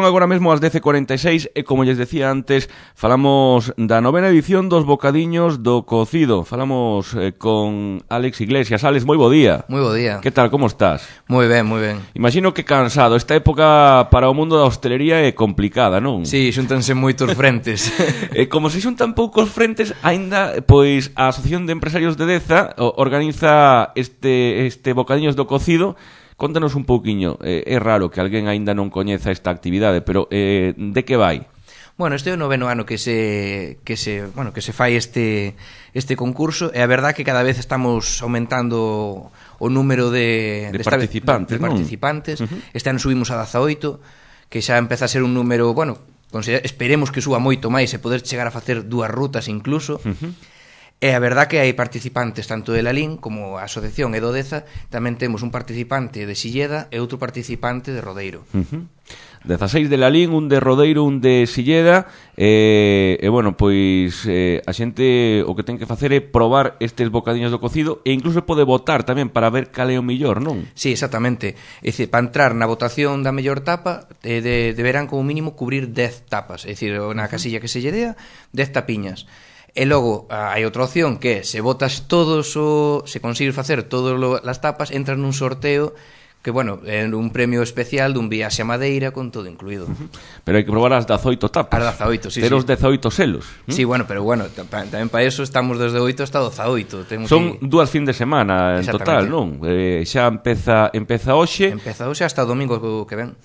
Son agora mesmo as 10:46 e, como lles decía antes, falamos da novena edición dos Bocadiños do Cocido. Falamos con Álex Iglesias. Álex, moi bo día. Moi bo día. Que tal, como estás? Moi ben, moi ben. Imagino que cansado. Esta época para o mundo da hostelería é complicada, non? Sí, xúntanse moitos frentes. Como se xuntan poucos frentes, aínda, pois, a Asociación de Empresarios de Deza organiza este Bocadiños do Cocido. Contanos un pouquiño, é raro que alguén aínda non coñeza esta actividade, pero de que vai? Bueno, este é o noveno ano que se fai este concurso, e a verdad que cada vez estamos aumentando o número de participantes, non? Este ano subimos a 18, que xa empeza a ser un número, bueno, esperemos que suba moito máis e poder chegar a facer 2 rutas incluso. E a verdad que hai participantes tanto de Lalín como a Asociación e do Deza. Tamén temos un participante de Silleda e outro participante de Rodeiro. 16 de Lalín, un de Rodeiro, un de Silleda. E bueno, pois a xente o que ten que facer é probar estes bocadiños do cocido e incluso pode votar tamén para ver cal é o millor, non? Sí, exactamente. É dicir, para entrar na votación da mellor tapa deberán como mínimo cubrir 10 tapas. É dicir, na casilla que se lle dea 10 tapiñas. E logo hai outra opción que se votas todos se consigues facer todas as tapas, entras nun sorteo que, bueno, é un premio especial dun viaxe a Madeira con todo incluído. Pero hai que probar as 18 tapas. As 18, sí. Ter os 18 selos. Sí, bueno, pero bueno, tamén para eso estamos desde 8 hasta 18. Son 2 fin de semana en total, non? Xa empeza hoxe. Empeza hoxe hasta o domingo que ven.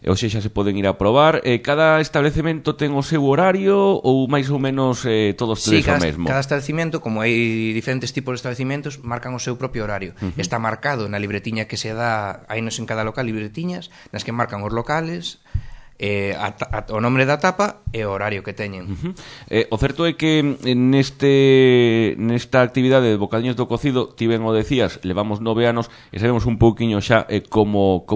E hoxe xa se poden ir a probar. Cada establecemento ten o seu horario ou máis ou menos todos tedes o mesmo? Sí, cada establecemento, como hai diferentes tipos de establecimientos, marcan o seu propio horario. Está marcado na libretiña que se dá. Hai nos en cada local libretiñas nas que marcan os locales, o nome da tapa e o horario que teñen. O certo é que nesta actividade de Bocadiños do Cocido, ti ben o decías, levamos 9 anos e sabemos un pouquiño xa como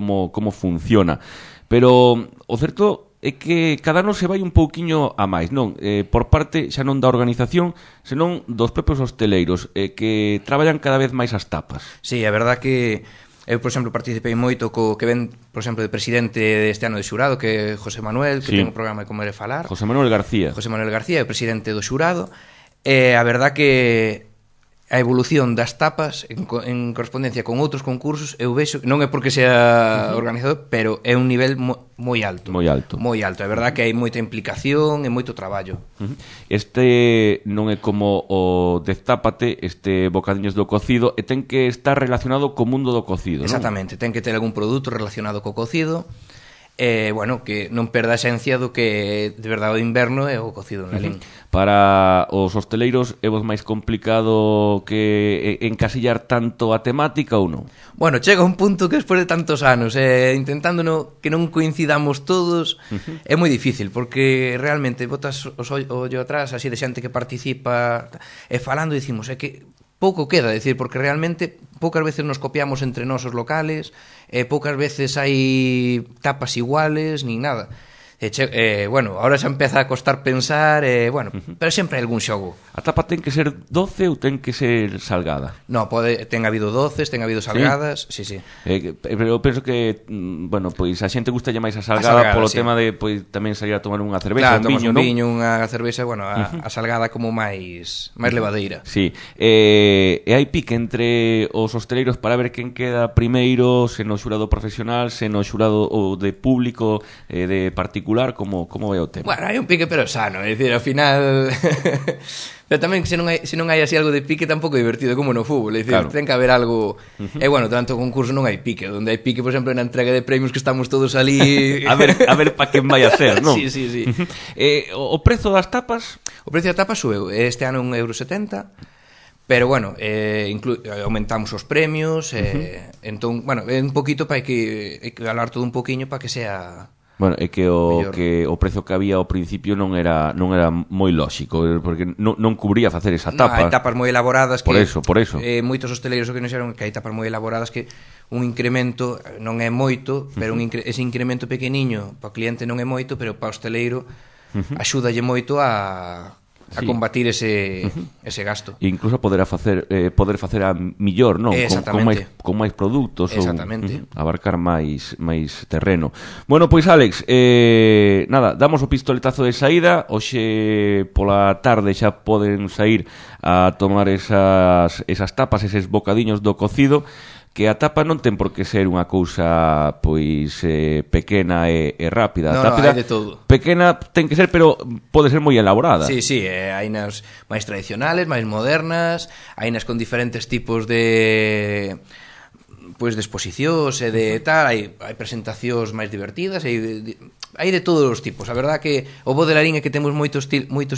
funciona. Pero o certo é que cada ano se vai un pouquiño a máis, non? Por parte xa non da organización, senón dos propios hosteleiros, que traballan cada vez máis as tapas. Sí, a verdad que eu, por exemplo, participei moito co que ven, por exemplo, de presidente deste ano de xurado, que é José Manuel, que ten un programa de Comer e Falar. José Manuel García, é o presidente do xurado. E a verdad que a evolución das tapas en correspondencia con outros concursos, eu vexo, non é porque sea organizador, pero é un nivel moi alto. Moi alto. É verdad que hai moita implicación e moito traballo. Este non é como o Destápate, este Bocadiños do Cocido, e ten que estar relacionado co mundo do cocido, non? Exactamente, ten que ter algún produto relacionado co cocido. Bueno, que non perda a esencia do que de verdade o inverno é o cocido en Lalín. Para os hosteleiros é vos máis complicado que encasillar tanto a temática ou non? Bueno, chega un punto que despois de tantos anos intentando que non coincidamos todos é moi difícil, porque realmente botas o ollo atrás así de xente que participa e falando dicimos, é que pouco queda, decir, porque realmente poucas veces nos copiamos entre nós os locales, poucas veces hai tapas iguales, nin nada. Bueno, ahora xa empeza a costar pensar, bueno, pero sempre hai algún xogo. A tapa ten que ser doce ou ten que ser salgada? No, ten habido doces, ten habido salgadas, sí. Pero penso que, bueno, pois a xente gusta máis a salgada polo tema de, pois, tamén salir a tomar unha cervexa, un viño, non? Un viño, unha cervexa, bueno, a salgada como máis levadeira. Sí, e hai pique entre os hosteleiros para ver quen queda primeiro, se no xurado profesional, se no xurado de público, de particular. Como vai o tema? Bueno, hai un pique pero sano, é dicir, ao final pero tamén se non hai así algo de pique tampouco é divertido como no fútbol, é dicir, ten que haber algo e bueno, tanto concurso non hai pique, onde hai pique, por exemplo, na entrega de premios que estamos todos ali a ver para quen vai a ser, non? Sí. O prezo das tapas? O prezo das tapas sueu, este ano €1,70. Pero bueno, aumentamos os premios, entón, bueno, é un poquito para que hablar todo un poquinho para que sea. Bueno, é que o prezo que había ao principio non era moi lóxico, porque non cubría facer esa tapa. Hai tapas moi elaboradas que... Por eso. Moitos hosteleiros o que nos xeron que hai tapas moi elaboradas que un incremento non é moito, pero ese incremento pequeniño para o cliente non é moito, pero para o hosteleiro axúdalle moito a combatir ese gasto. E incluso poder facer a millor, non? Con máis produtos ou abarcar máis terreno. Bueno, pois Álex, nada, damos o pistoletazo de saída. Hoxe pola tarde xa poden sair a tomar esas tapas, eses bocadiños do cocido, que a tapa non ten por que ser unha cousa pois pequena e rápida. No, hai de todo. Pequena ten que ser, pero pode ser moi elaborada. Sí, hai nas máis tradicionales, máis modernas, hai nas con diferentes tipos de exposicións e de tal, hai presentacións máis divertidas, hai de todos os tipos. A verdad que o bo de Larín é que temos moitos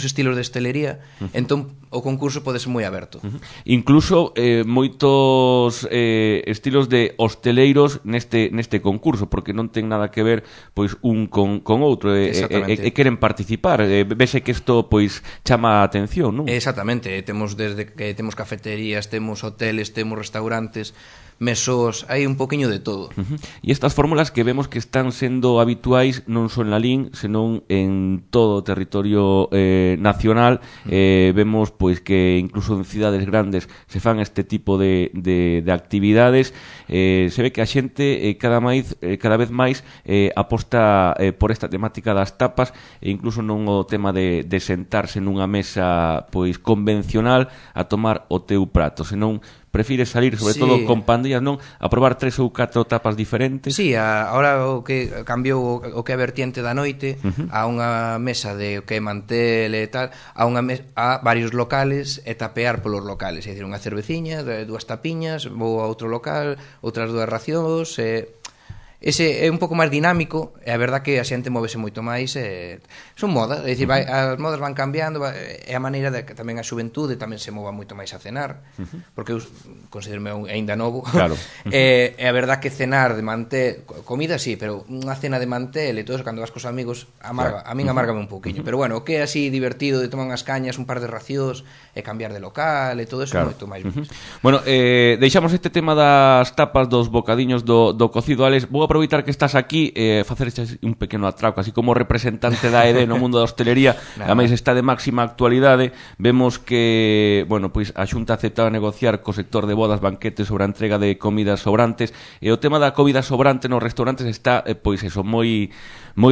estilos de hostelería, entón o concurso pode ser moi aberto. Incluso moitos estilos de hosteleiros neste concurso, porque non ten nada que ver pois un con outro, e queren participar. Vese que isto pois chama a atención, non? Exactamente, temos desde que temos cafeterías, temos hoteles, temos restaurantes, mesós, hai un poquinho de todo. E estas fórmulas que vemos que están sendo habituais non só en Lalín, senón en todo o territorio nacional. Vemos pois que incluso en cidades grandes se fan este tipo de actividades. Se ve que a xente cada vez máis aposta por esta temática das tapas, e incluso non o tema de sentarse nunha mesa pois convencional a tomar o teu prato, senón prefires salir, sobre todo con pandillas, non? A probar 3 ou 4 tapas diferentes. Sí, ahora o que cambiou o que é vertiente da noite, a unha mesa de o que é mantel e tal, a varios locales e tapear polos locales, é dicir, unha cerveciña, 2 tapiñas, vou a outro local, outras 2 racións, ese é un pouco máis dinámico, e a verdad que a xente móvese moito máis, son modas, é dicir, as modas van cambiando, é a maneira de que tamén a xuventude tamén se mova moito máis a cenar, porque eu considero-me aínda novo, claro. E a verdad que cenar de mantel, comida sí, pero unha cena de mantel e todo eso, cando vas cos amigos, amarga, a min amárgame un pouquiño, pero bueno, o que é así divertido de tomar unhas cañas, un par de racións, e cambiar de local, e todo eso, moito máis. Bueno, deixamos este tema das tapas, dos bocadiños do cocido. Alex, vou aproveitar que estás aquí facer un pequeno atraco, así como representante da ED no mundo da hostelería. Ademais está de máxima actualidade. Vemos que, bueno, pois a Xunta aceptaba negociar co sector de bodas, banquetes sobre a entrega de comidas sobrantes, e o tema da comida sobrante nos restaurantes está pois eso, moi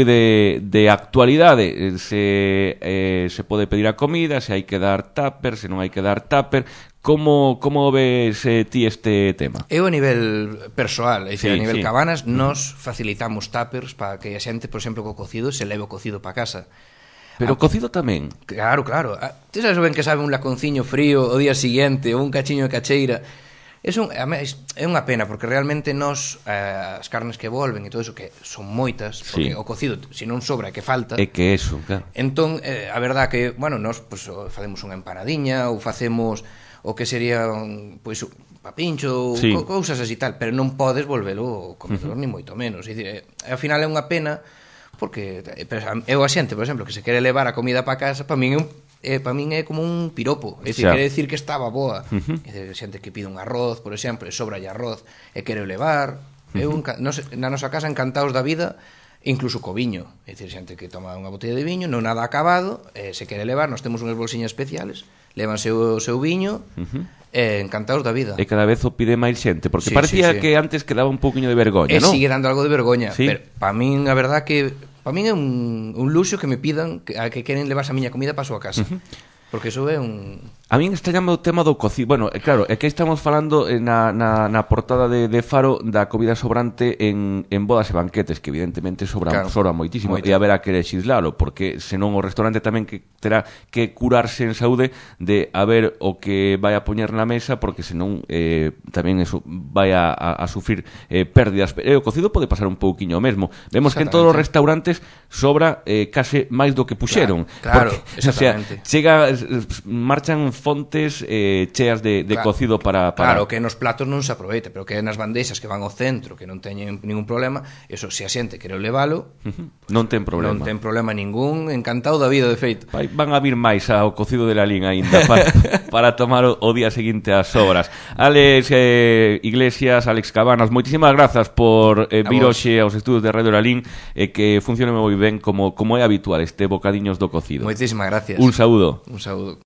de actualidade. Se pode pedir a comida, se hai que dar tupper, se non hai que dar tupper. Como ves ti este tema? Eu a nivel persoal, é dicir, a nivel Cabanas, nos facilitamos tuppers para que a xente, por exemplo, co cocido se leve o cocido para casa. Pero o cocido tamén? Claro. Ti sabes ben que sabe un laconciño frío o día siguiente, ou un cachiño de cacheira. É unha pena, porque realmente as carnes que volven e todo eso, que son moitas, porque o cocido, se non sobra, que falta. É que eso, claro. Entón, a verdad que, bueno, nos facemos unha empanadiña, ou facemos o que sería pois papincho, cousas así tal, pero non podes volvelo comedor ni moito menos. Ao final é unha pena, porque eu a xente, por exemplo, que se quere levar a comida para casa, para min é como un piropo, é dicir, quere decir que estaba boa. É xente que pide un arroz, por exemplo, e sobralle arroz e quere levar. Na nosa casa encantados da vida, incluso co viño, é dicir, xente que toma unha botella de viño, non nada acabado, se quere levar, nós temos unhas bolsiñas especiales, levanse o seu viño, encantados da vida. E cada vez o pide máis xente, porque parecía que antes quedaba un pouquiño de vergoña, non? Sigue dando algo de vergoña, pero para min, a verdad que para min é un luxo que me pidan que queren levarse a miña comida para a súa casa. Porque iso é un... A min extrañame o tema do cocido. Bueno, claro, é que estamos falando na portada de Faro da comida sobrante en bodas e banquetes, que evidentemente sobra moitísimo, e haberá que lexislalo, porque senón o restaurante tamén que terá que curarse en saúde de a ver o que vai a poñer na mesa, porque senón tamén eso vai a sufrir pérdidas. E o cocido pode pasar un pouquiño o mesmo. Vemos que en todos os restaurantes sobra case máis do que puxeron. Claro, porque, exactamente. O sea, marchan fontes cheas de cocido para... Claro, que nos platos non se aproveita, pero que nas bandeixas que van ao centro, que non teñen ningún problema, eso, se a xente quere levalo, non ten problema. Non ten problema ningún, encantado da vida, de feito. Van a vir máis ao cocido de Lalín aínda para tomar o día seguinte as sobras. Alex Iglesias, Alex Cabanas, moitísimas grazas por vir hoxe aos estudos de Radio Lalín e que funcione moi ben como é habitual este bocadiños do cocido. Moitísimas gracias. Un saúdo. Un saúdo.